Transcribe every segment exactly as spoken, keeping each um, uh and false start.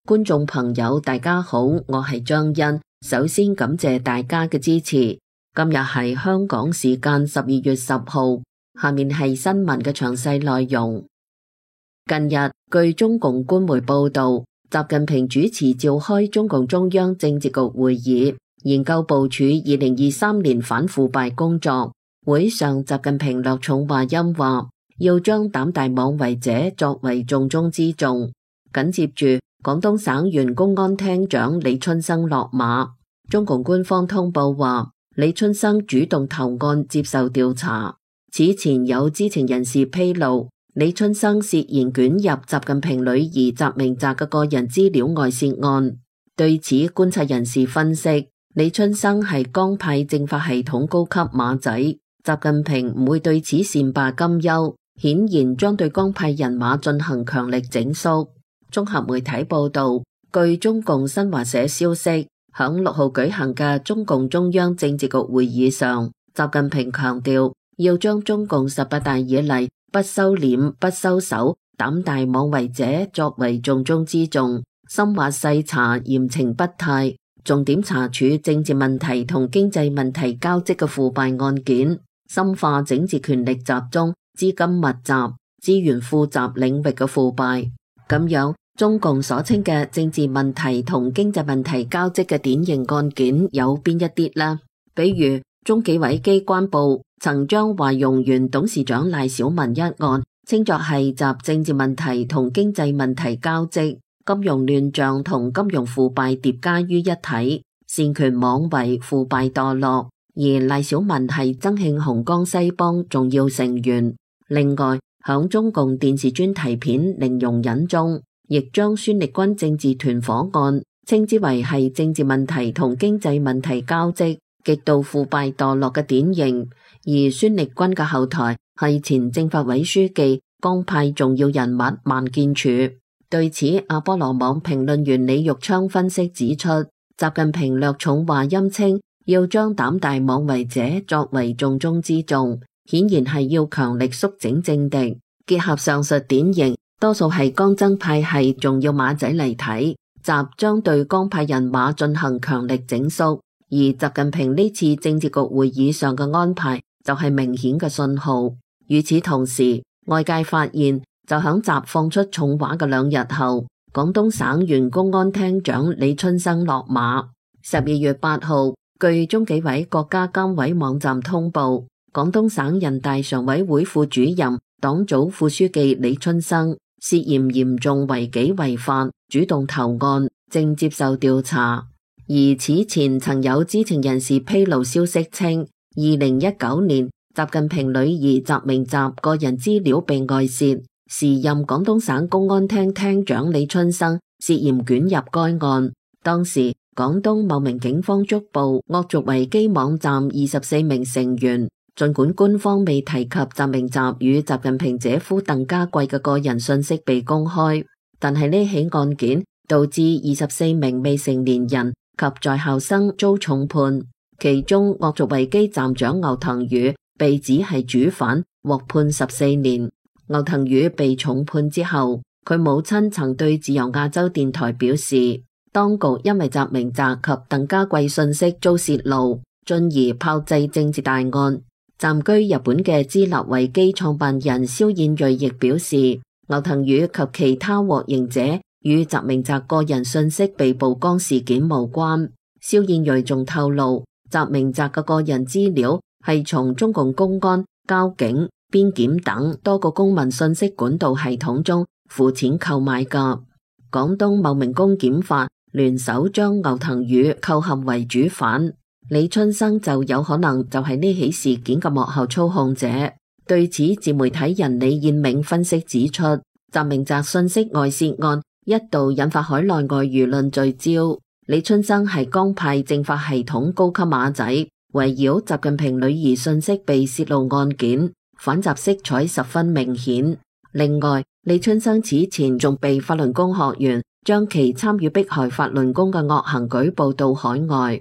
觀眾朋友大家好，我係張欣，首先感謝大家嘅支持。今日係香港時間十二月十號，下面係新聞嘅詳細內容。近日，據中共官媒報道，習近平主持召開中共中央政治局會議，研究部署二零二三年反腐敗工作。會上，習近平略重話音話，要將膽大妄為者作為重中之重。緊接住，廣東省原公安廳長李春生落馬。中共官方通報話，李春生主動投案接受調查。此前有知情人士披露，李春生涉嫌捲入習近平女兒習明澤嘅個人資料外泄案。對此，觀察人士分析，李春生係江派政法系統高級馬仔，習近平唔會對此善罷甘休，顯然將對江派人馬進行強力整肅。綜合媒體報道，據中共新華社消息，響六號舉行嘅中共中央政治局會議上，習近平強調要將中共十八大以嚟不收斂、不收手、膽大妄為者作為重中之重，深挖細查、嚴懲不貸，重點查處政治問題同經濟問題交織嘅腐敗案件，深化整治權力集中、資金密集、資源富集領域嘅腐敗。咁樣，中共所稱嘅政治問題同經濟問題交織嘅典型案件有邊一啲呢？比如中紀委機關部曾將華融原董事長賴小民一案稱作係集政治問題同經濟問題交織、金融亂象同金融腐敗疊加於一體，擅權妄為、腐敗墮落。而賴小民係曾慶紅江西幫重要成員。另外，響中共電視專題片《零容忍》中，亦將孫力軍政治團伙案稱之為係政治問題同經濟問題交織、極度腐敗墮落嘅典型。而孫力軍嘅後台係前政法委書記、江派重要人物萬建柱。對此，阿波羅網評論員李玉昌分析指出，習近平略重話音稱要將膽大妄為者作為重中之重，顯然係要強力肅整政敵。結合上述典型，多數係江曾派系重要馬仔嚟睇，習將對江派人馬進行強力整肅。而習近平呢次政治局會議上嘅安排就係明顯嘅信號。與此同時，外界發現就響習放出重話嘅兩日後，廣東省原公安廳長李春生落馬。十二月八號，據中紀委國家監委網站通報，廣東省人大常委會副主任、黨組副書記李春生涉嫌嚴重違紀違法，主動投案，正接受調查。而此前曾有知情人士披露消息稱，二零一九年習近平女兒習明澤個人資料被外泄，時任廣東省公安廳廳長李春生涉嫌捲入該案。當時廣東茂名警方捉捕惡俗維基網站二十四名成員，儘管官方未提及習明澤與習近平姐夫鄧家貴嘅個人信息被公開，但係呢起案件導致二十四名未成年人及在校生遭重判，其中惡俗維基站長牛騰宇被指係主犯，獲判十四年。牛騰宇被重判之後，佢母親曾對自由亞洲電台表示，當局因為習明澤及鄧家貴信息遭泄露，進而炮製政治大案。暫居日本嘅知立維基創辦人蕭燕瑞亦表示，牛騰宇及其他獲刑者與習明澤個人信息被曝光事件無關。蕭燕瑞仲透露，習明澤嘅個人資料係從中共公安、交警、邊檢等多個公民信息管道系統中付錢購買㗎。廣東茂名公檢法聯手將牛騰宇構陷為主犯，李春生就有可能就係呢起事件嘅幕後操控者。對此，自媒體人李燕銘分析指出，習明澤信息外泄案一度引發海內外輿論聚焦，李春生係江派政法系統高級馬仔，圍繞習近平女兒信息被泄露案件，反習色彩十分明顯。另外，李春生此前仲被法輪功學員將其參與迫害法輪功嘅惡行舉報到海外。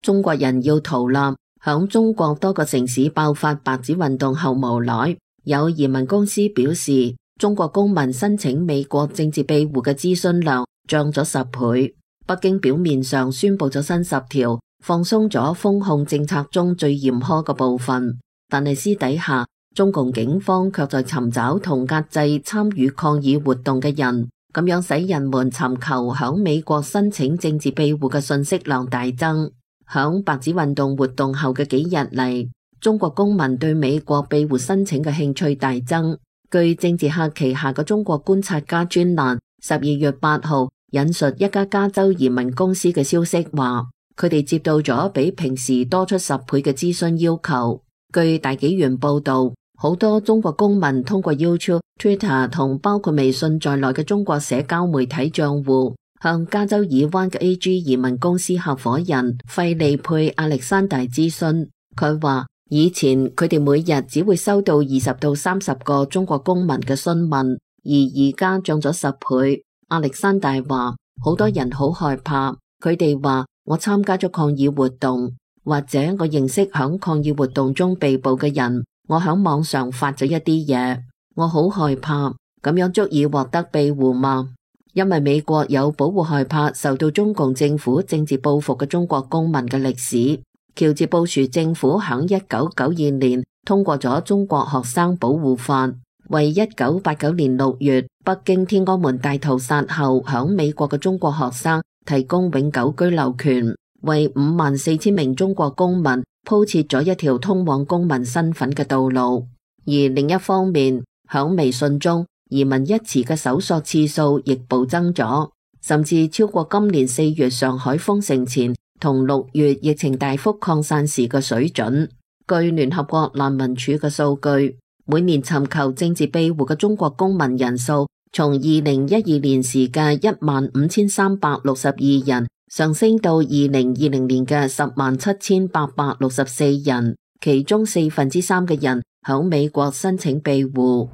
中國人要逃難，響中國多個城市爆發白紙運動後無奈，有移民公司表示，中國公民申請美國政治庇護嘅諮詢量漲咗十倍。北京表面上宣布咗新十條，放鬆咗封控政策中最嚴苛嘅部分，但係私底下，中共警方卻在尋找同壓制參與抗議活動嘅人，咁樣使人們尋求響美國申請政治庇護嘅信息量大增。響白紙運動活動後嘅幾日嚟，中國公民對美國庇護申請嘅興趣大增。據政治客旗下嘅中國觀察家專欄十二月八號引述一家加州移民公司嘅消息話，佢哋接到咗比平時多出十倍嘅諮詢要求。據大紀元報道，好多中國公民通過 YouTube、Twitter 同包括微信在內嘅中國社交媒體賬戶，向加州爾灣嘅 A G 移民公司合夥人費利佩亞歷山大諮詢。佢話，以前佢哋每日只會收到二十到三十個中國公民嘅詢問，而而家漲咗十倍。亞歷山大話，好多人好害怕，佢哋話我參加咗抗議活動，或者我認識響抗議活動中被捕嘅人，我響網上發咗一啲嘢，我好害怕，咁樣足以獲得庇護嗎？因為美國有保護害怕受到中共政府政治報復嘅中國公民嘅歷史。喬治布殊政府響一九九二年通過咗中國學生保護法，為一九八九年六月北京天安門大屠殺後響美國嘅中國學生提供永久居留權，為五萬四千名中國公民鋪設咗一條通往公民身份嘅道路。而另一方面，響微信中移民一詞嘅搜索次數亦暴增咗，甚至超過今年四月上海封城前同六月疫情大幅擴散時嘅水準。據聯合國難民署嘅數據，每年尋求政治庇護嘅中國公民人數從二零一二年時嘅一萬五千三百六十二人上升到二零二零年嘅十萬七千八百六十四人，其中四分之三嘅人響美國申請庇護。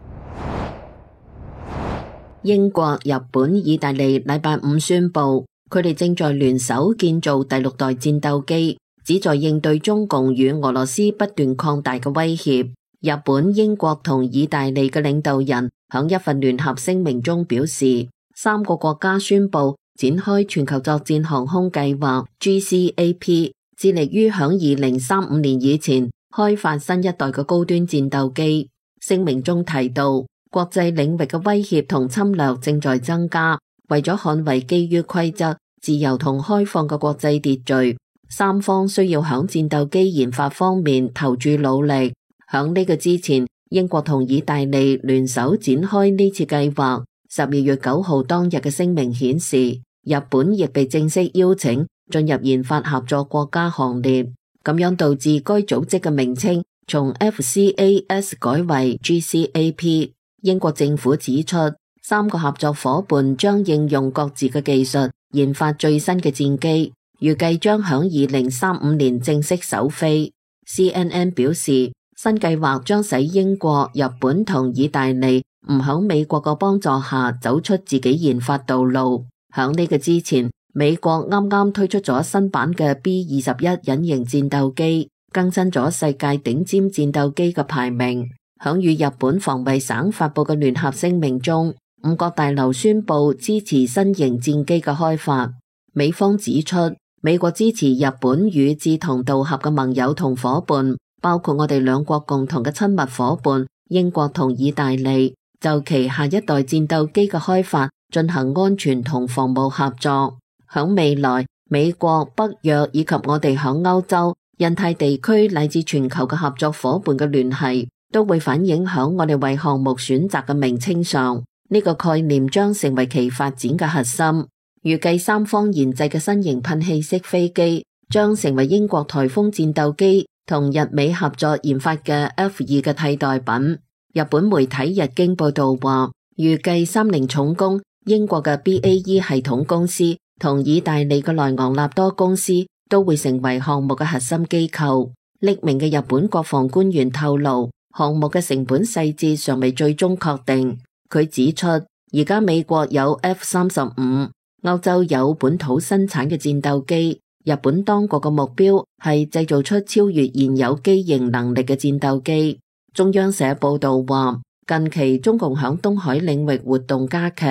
英國、日本、意大利禮拜五宣布，佢哋正在聯手建造第六代戰鬥機，旨在應對中共與俄羅斯不斷擴大嘅威脅。日本、英國同意大利嘅領導人響一份聯合聲明中表示，三個國家宣布展開全球作戰航空計劃 G C A P， 致力於響二零三五年以前開發新一代嘅高端戰鬥機。聲明中提到，國際領域嘅威脅同侵略正在增加，為咗捍衛基於規則、自由同開放嘅國際秩序，三方需要響戰鬥機研發方面投注努力。響呢個之前，英國同意大利聯手展開呢次計劃。十二月九號當日嘅聲明顯示，日本亦被正式邀請進入研發合作國家行列，咁樣導致該組織嘅名稱從 F C A S 改為 G C A P。英國政府指出，三個合作夥伴將應用各自嘅技術研發最新嘅戰機，預計將響二零三五年正式首飛。C N N 表示，新計劃將使英國、日本同意大利唔響美國嘅幫助下走出自己研發道路。響呢個之前，美國啱啱推出咗新版嘅 B 二十一隱形戰鬥機，更新咗世界頂尖戰鬥機嘅排名。響與日本防衛省發佈嘅聯合聲明中，五角大樓宣布支持新型戰機嘅開發。美方指出，美國支持日本與志同道合嘅盟友同夥伴，包括我哋兩國共同嘅親密夥伴英國同意大利，就其下一代戰鬥機嘅開發進行安全同防務合作。響未來，美國、北約以及我哋響歐洲、印太地區乃至全球嘅合作夥伴嘅聯繫，都會反映響我哋為項目選擇嘅名稱上。呢個概念將成為其發展嘅核心。預計三方研製嘅新型噴氣式飛機將成為英國颱風戰鬥機同日美合作研發嘅 F 二嘅替代品。日本媒體日經報道話，預計三菱重工、英國嘅 B A E 系統公司同意大利嘅萊昂納多公司都會成為項目嘅核心機構。匿名嘅日本國防官員透露，項目嘅成本細節尚未最終確定。佢指出，而家美國有 F 三十五，歐洲有本土生產嘅戰鬥機，日本當局嘅目標係製造出超越現有機型能力嘅戰鬥機。中央社報道話，近期中共響東海領域活動加劇，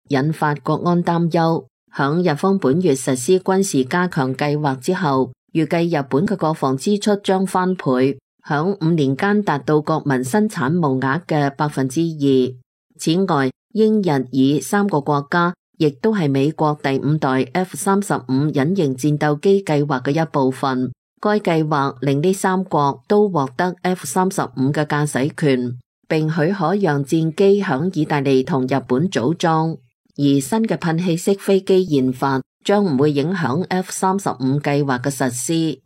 引發國安擔憂。響日方本月實施軍事加強計劃之後，預計日本嘅國防支出將翻倍，響五年間達到國民生產毛額嘅百分之二。此外，英日以三個國家亦都係美國第五代 F 三十五隱形戰鬥機計劃嘅一部分。該計劃令呢三國都獲得 F 三十五嘅駕駛權，並許可讓戰機響意大利同日本組裝。而新嘅噴氣式飛機研發將唔會影響 F 三十五計劃嘅實施。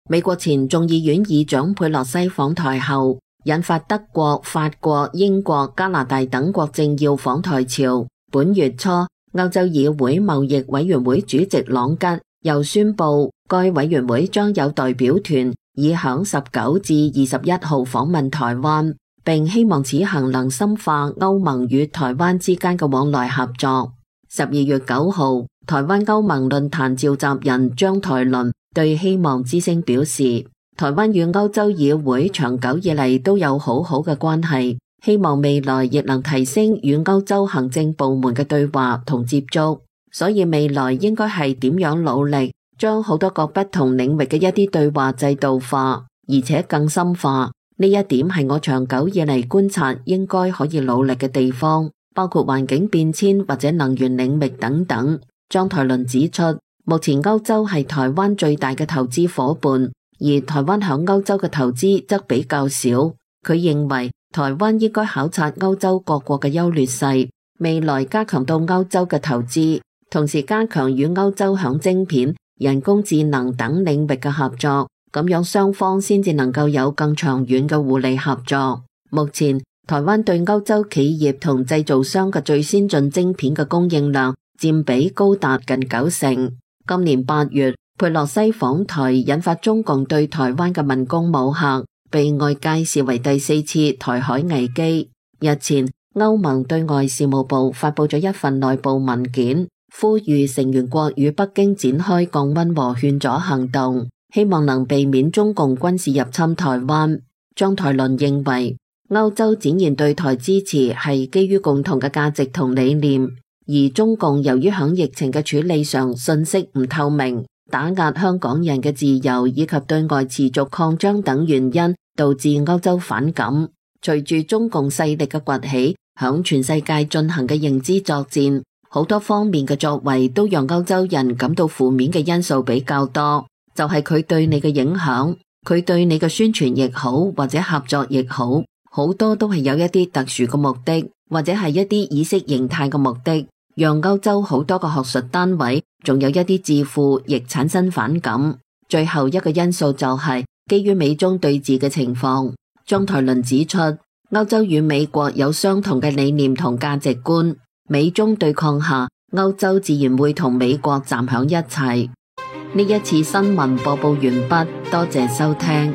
美國前眾議院議長佩洛西訪台後，引發德國、法國、英國、加拿大等國政要訪台潮。本月初，歐洲議會貿易委員會主席朗吉又宣布，該委員會將有代表團以響十九至二十一號訪問台灣，並希望此行能深化歐盟與台灣之間嘅往來合作。十二月九號，台灣歐盟論壇召集人張台倫對希望之聲表示，台灣與歐洲議會長久以嚟都有好好嘅關係，希望未來亦能提升與歐洲行政部門嘅對話同接觸，所以未來應該係點樣努力將好多個不同領域嘅一啲對話制度化，而且更深化。呢一點係我長久以嚟觀察應該可以努力嘅地方，包括環境變遷或者能源領域等等。張台倫指出，目前歐洲係台灣最大嘅投資夥伴，而台灣響歐洲嘅投資則比較少。佢認為台灣應該考察歐洲各國嘅優劣勢，未來加強到歐洲嘅投資，同時加強與歐洲響晶片、人工智能等領域嘅合作，咁樣雙方先至能夠有更長遠嘅互利合作。目前台灣對歐洲企業同製造商嘅最先進晶片嘅供應量佔比高達近九成。今年八月，佩洛西訪台引發中共對台灣嘅文攻武嚇，被外界視為第四次台海危機。日前，歐盟對外事務部發佈咗一份內部文件，呼籲成員國與北京展開降溫和勸阻行動，希望能避免中共軍事入侵台灣。張台倫認為，歐洲展現對台支持係基於共同嘅價值同理念，而中共由於響疫情嘅處理上信息唔透明，打壓香港人嘅自由以及對外持續擴張等原因，導致歐洲反感。隨住中共勢力嘅崛起，響全世界進行嘅認知作戰，好多方面嘅作為都讓歐洲人感到負面嘅因素比較多。就係佢對你嘅影響，佢對你嘅宣傳亦好，或者合作亦好，好多都係有一啲特殊嘅目的，或者係一啲意識形態嘅目的，讓歐洲好多個學術單位，仲有一啲智庫亦產生反感。最後一個因素就係基於美中對峙嘅情況。張台倫指出，歐洲與美國有相同嘅理念同價值觀，美中對抗下，歐洲自然會同美國站響一齊。呢一次新聞播報完畢，多謝收聽。